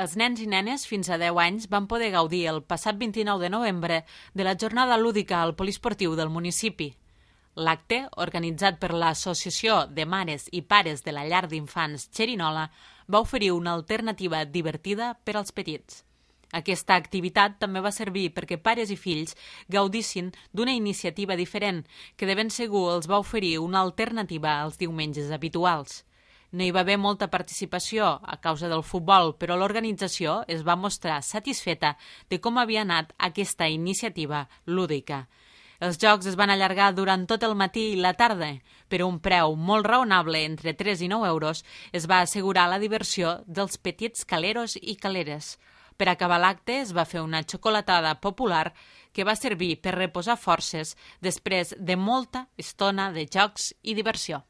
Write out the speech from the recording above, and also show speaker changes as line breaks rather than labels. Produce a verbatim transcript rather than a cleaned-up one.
Els nens i nenes fins a deu anys van poder gaudir el passat vint-i-nou de novembre de la jornada lúdica al poliesportiu del municipi. L'acte, organitzat per l'Associació de Mares i Pares de la Llar d'Infants Xerinola, va oferir una alternativa divertida per als petits. Aquesta activitat també va servir perquè pares i fills gaudissin d'una iniciativa diferent que de ben segur els va oferir una alternativa als diumenges habituals. No hi va haver molta participació a causa del futbol, però l'organització es va mostrar satisfeta de com havia anat aquesta iniciativa lúdica. Els jocs es van allargar durant tot el matí i la tarda. Per un preu molt raonable, entre tres i nou euros, es va assegurar la diversió dels petits caleros i caleres. Per acabar l'acte es va fer una xocolatada popular que va servir per reposar forces després de molta estona de jocs i diversió.